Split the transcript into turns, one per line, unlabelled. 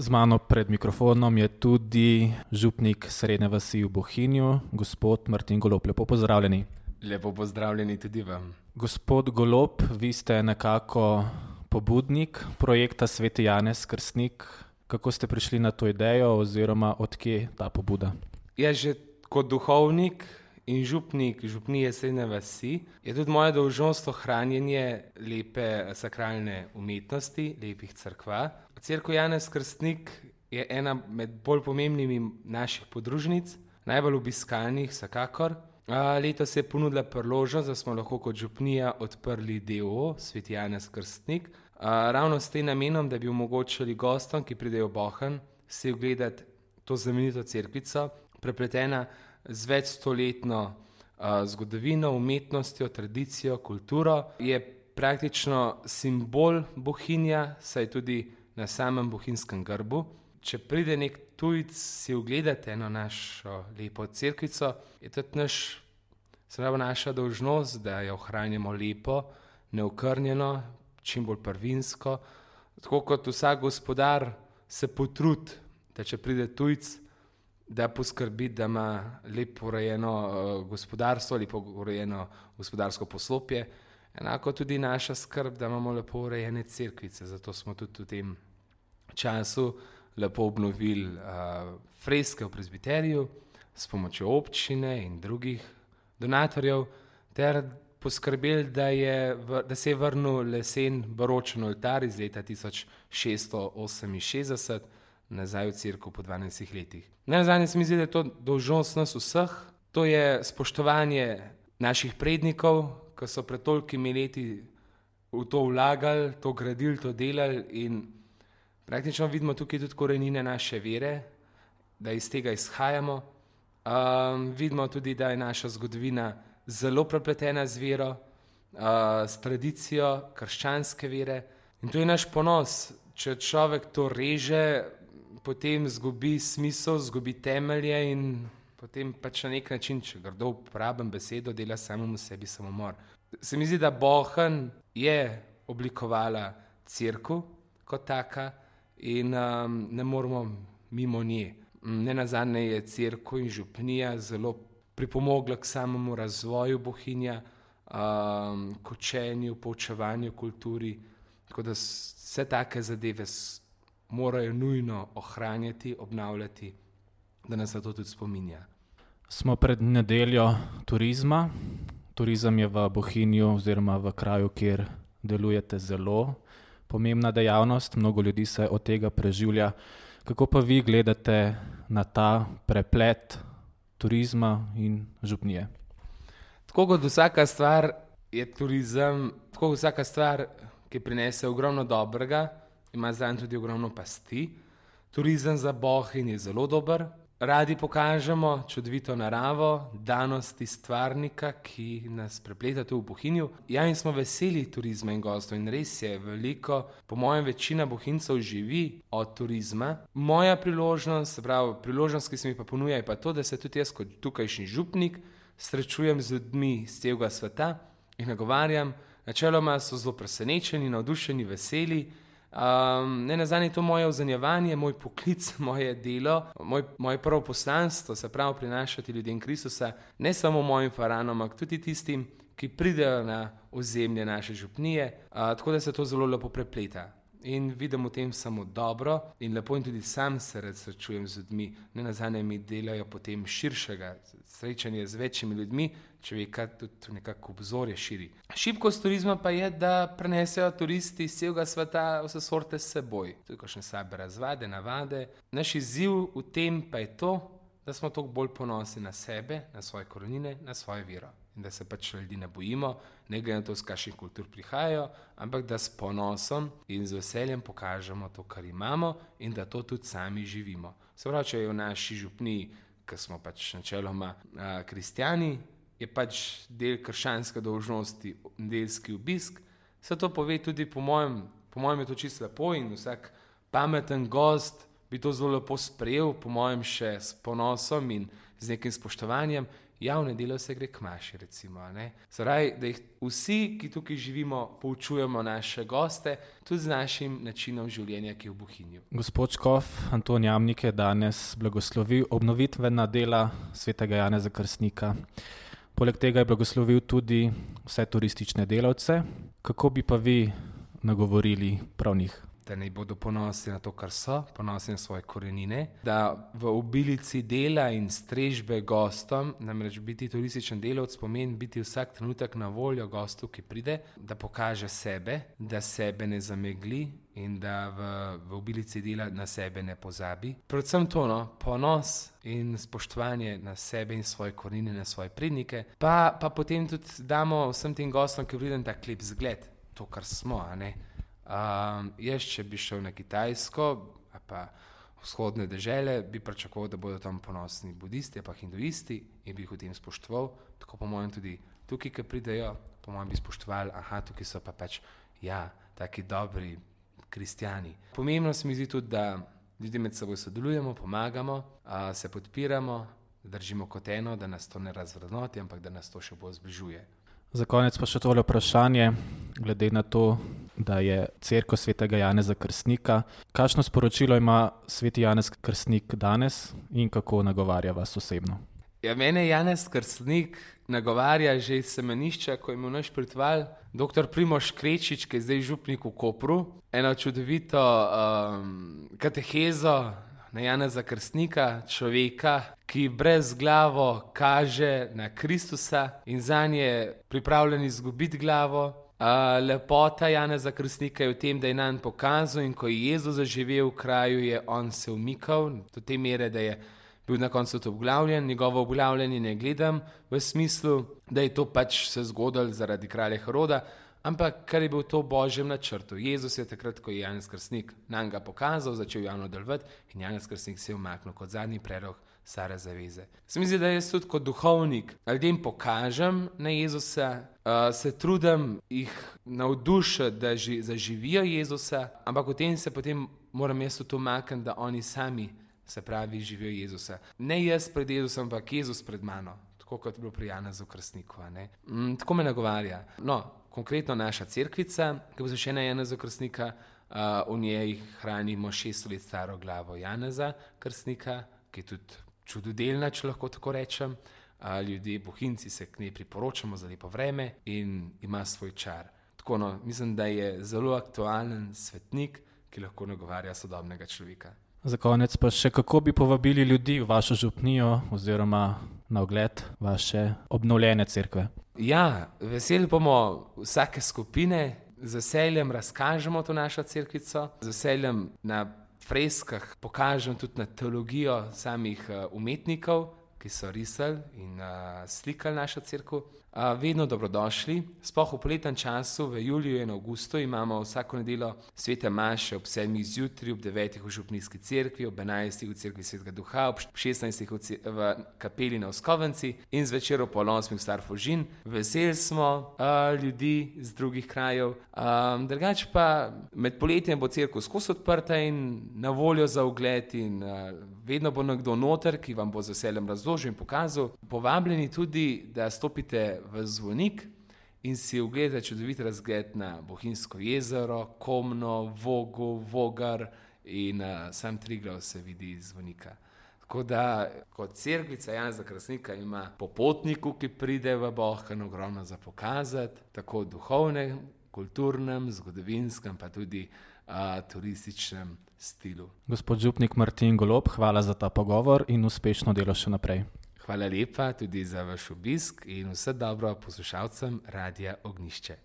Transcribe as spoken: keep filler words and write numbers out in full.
Z mano pred mikrofonom je tudi župnik Srednje vasi v Bohinju, gospod Martin Golob. Lepo pozdravljeni.
Lepo pozdravljeni tudi vam.
Gospod Golob, vi ste nekako pobudnik projekta Sveti Janez Krstnik. Kako ste prišli na to idejo oziroma odkje ta pobuda?
Ja, že kot duhovnik in župnik župnije Srednje vasi je tudi moja dolžnost ohranjanje lepe sakralne umetnosti, lepih cerkva. Cerkev Janez Krstnik je ena med bolj pomembnimi naših podružnic, najbolj obiskanih vsekakor. Letos se je ponudila priložnost, da smo lahko kot župnija odprli D O O, Sveti Janez Krstnik, ravno s tem namenom, da bi omogočili gostom, ki pridejo v Bohinj, si ogledati to znamenito cerkvico, prepletena z večstoletno zgodovino, umetnostjo, tradicijo, kulturo. Je praktično simbol Bohinja, saj tudi na samem bohinjskem grbu. Če pride nek tujec si ogledati eno našo lepo cerkvico, je tudi naš, se pravi naša dolžnost, da jo ohranjamo lepo, neokrnjeno, čim bolj prvinsko. Tako kot vsak gospodar se potrudi, da če pride tujec, da poskrbi, da ima lepo urejeno gospodarstvo, lepo urejeno gospodarsko poslopje. Enako tudi naša skrb, da imamo lepo urejene cerkvice, zato smo tudi v tem času lepo obnovili uh, freske v prezbiteriju s pomočjo občine in drugih donatorjev ter poskrbeli, da, je, da se je vrnil lesen baročen oltar iz leta tisoč šeststo oseminšestdeset nazaj v cerkev po dvanajstih letih. Najnazadnje se mi zdi, da je to dolžnost nas vseh, to je spoštovanje naših prednikov, ki so pred tolikimi leti v to vlagali, to gradili, to delali in praktično vidimo tukaj tudi korenine naše vere, da iz tega izhajamo. Um, vidimo tudi, da je naša zgodovina zelo prepletena z vero, uh, s tradicijo krščanske vere. In to je naš ponos. Če človek to reže, potem zgubi smisel, zgubi temelje in potem pač na nek način, če grdo uporabim besedo, dela samemu sebi samomor. Se mi zdi, da Bohinj je oblikovala cerkev kot taka, in um, ne moramo mimo nje. Nenazadnje je cerkev in župnija zelo pripomogla k samemu razvoju Bohinja, um, k učenju, poučevanju kulturi, tako da vse take zadeve morajo nujno ohranjati, obnavljati, da nas na to tudi spominja.
Smo pred nedeljo turizma. Turizem je v Bohinju oziroma v kraju, kjer delujete, zelo pomembna dejavnost, mnogo ljudi se od tega preživlja. Kako pa vi gledate na ta preplet turizma in župnije?
Tako kot vsaka stvar je turizem, tako kot vsaka stvar, ki prinese ogromno dobrega, ima zanj tudi ogromno pasti. Turizem za Bohinj je zelo dober. Radi pokažemo čudovito naravo, danosti stvarnika, ki nas prepleta tu v Bohinju. Ja, in smo veseli turizma in gostov in res je veliko, po mojem večina Bohinjcev živi od turizma. Moja priložnost, se pravi priložnost, ki se mi pa ponuja, je pa to, da se tudi jaz kot tukajšnji župnik srečujem z ljudmi iz celega sveta in nagovarjam. Načeloma so zelo presenečeni, navdušeni, veseli. Um, ne nazadnje je to moje ozanjevanje, moj poklic, moje delo, moj, moje prvo poslanstvo, se pravi prinašati ljudem Kristusa, ne samo mojim faranom, ampak tudi tistim, ki pridejo na ozemlje naše župnije, uh, tako da se to zelo lepo prepleta. In vidim v tem samo dobro in lepo in tudi sam se rad srečujem z ljudmi. Ne nazadnje mi delajo potem širšega srečanja z večjimi ljudmi, človeka tudi nekako obzorje širi. Šibkost turizma pa je, da prenesejo turisti iz celega sveta vse sorte s seboj. Tudi kakšne slabe razvade, navade. Naš izziv v tem pa je to, da smo toliko bolj ponosni na sebe, na svoje korenine, na svojo vero. In da se pač ljudi ne bojimo, ne glede na to, z kakšnih kultur prihajajo, ampak da s ponosom in z veseljem pokažemo to, kar imamo in da to tudi sami živimo. Se pravi, če je v naši župniji, ki smo pač načeloma a, kristjani, je pač del krščanske dolžnosti nedeljski obisk, se to pove tudi po mojem, po mojem je to čisto lepo in vsak pameten gost bi to zelo lepo sprejel, po mojem še s ponosom in z nekim spoštovanjem. javne delo se gre k maši, recimo. Zaraj, da jih vsi, ki tukaj živimo, poučujemo naše goste, tudi z našim načinom življenja, ki je v Bohinju.
Gospod škof Anton Jamnik je danes blagoslovil obnovitvena dela svetega Janeza Krstnika. Poleg tega je blagoslovil tudi vse turistične delavce. Kako bi pa vi nagovorili prav njih?
Da naj bodo ponosni na to, kar so, ponosni na svoje korenine, da v obilici dela in strežbe gostom, namreč biti turističen delavec pomeni biti vsak trenutek na voljo gostu, ki pride, da pokaže sebe, da sebe ne zamegli in da v, v obilici dela na sebe ne pozabi. Predvsem to, no, ponos in spoštovanje na sebe in svoje korenine, na svoje prednike, pa, pa potem tudi damo vsem tem gostom, ki pride, tak lep zgled, to, kar smo, a ne. Um, jaz, če bi šel na Kitajsko, pa vzhodne dežele, bi pričakoval, da bodo tam ponosni budisti, pa hinduisti in bi jih v tem spoštoval. Tako po mojem tudi tukaj, ki pridejo, po mojem bi spoštovali, aha, tukaj so pa pač, ja, taki dobri kristjani. Pomembno se mi zdi tudi, da ljudje med seboj sodelujemo, pomagamo, uh, se podpiramo, držimo kot eno, da nas to ne razvrednoti, ampak da nas to še bolj zbližuje.
Za konec pa še tole vprašanje, glede na to, da je cerkev svetega Janeza Krstnika. Kakšno sporočilo ima sveti Janez Krstnik danes in kako nagovarja vas osebno?
Ja, mene Janez Krstnik nagovarja že iz semenišča, ko je imel naš pritval doktor Primož Krečič, ki je zdaj župnik v Kopru, eno čudovito um, katehezo na Janeza Krstnika, človeka, ki brez glavo kaže na Kristusa in zanj je pripravljen izgubiti glavo. Uh, lepota Janeza Krstnika je v tem, da je nam pokazal in ko je Jezus zaživel v kraju, je on se umikal do te mere, da je bil na koncu to obglavljen. Njegovo obglavljanje ne gledam v smislu, da je to pač se zgodilo zaradi kralja Heroda, ampak kar je bil to v Božjem načrtu. Jezus je takrat, ko je Janez Krstnik nam ga pokazal, začel javno delovati in Janez Krstnik se je umaknil kot zadnji prerok stare zaveze. Se mi zdi, da jaz tudi kot duhovnik ljudem pokažem na Jezusa, uh, se trudim jih navdušiti, da ži, zaživijo Jezusa, ampak v tem se potem moram jaz tudi umakniti, da oni sami, se pravi, živijo Jezusa. Ne jaz pred Jezusom, ampak Jezus pred mano, tako kot je bilo pri Janezu Krstniku. Mm, tako me nagovarja. No, konkretno naša cerkvica, ki bo zasvečena Janezu Krstnika, uh, v njej hranimo šest let staro glavo Janeza Krstnika, ki je tudi čudodelna, če lahko tako rečem. Uh, ljudje, bohinci se k njej priporočamo za lepo vreme in ima svoj čar. Tako no, mislim, da je zelo aktualen svetnik, ki lahko nagovarja sodobnega človeka.
Za konec pa še, kako bi povabili ljudi v vašo župnijo oziroma na ogled vaše obnovljene cerkve?
Ja, veseli bomo vsake skupine, z veseljem razkažemo to našo cerkvico, z veseljem na freskah pokažem tudi na teologijo samih uh, umetnikov, ki so risali in uh, slikali našo cerkev. Uh, vedno dobrodošli. Sploh v poletnem času, v juliju in avgustu, imamo vsako nedeljo svete maše ob sedmih zjutraj, ob devetih v župnijski cerkvi, ob enajstih v cerkvi Svetega Duha, ob šestnajstih v, v kapeli na Oskovenci in zvečer ob pol osmih v Star Fužin. Veseli smo uh, ljudi z drugih krajev. Um, drugače pa med poletjem bo cerkev skozi odprta in na voljo za ogled in uh, vedno bo nekdo noter, ki vam bo z veseljem razložil in pokazal. Povabljeni tudi, da stopite v Zvonik in si ogledate čudovit razgled na Bohinjsko jezero, Komno, Vogo, Vogar in uh, sam Triglav se vidi iz Zvonika. Tako da kot cerkvica Janeza Krstnika ima popotniku, ki pride v Bohinj, ogromno za pokazati, tako v duhovnem, kulturnem, zgodovinskem, pa tudi uh, turističnem stilu.
Gospod župnik Martin Golob, hvala za ta pogovor in uspešno delo še naprej.
Hvala lepa tudi za vaš obisk in vse dobro poslušalcem Radia Ognjišče.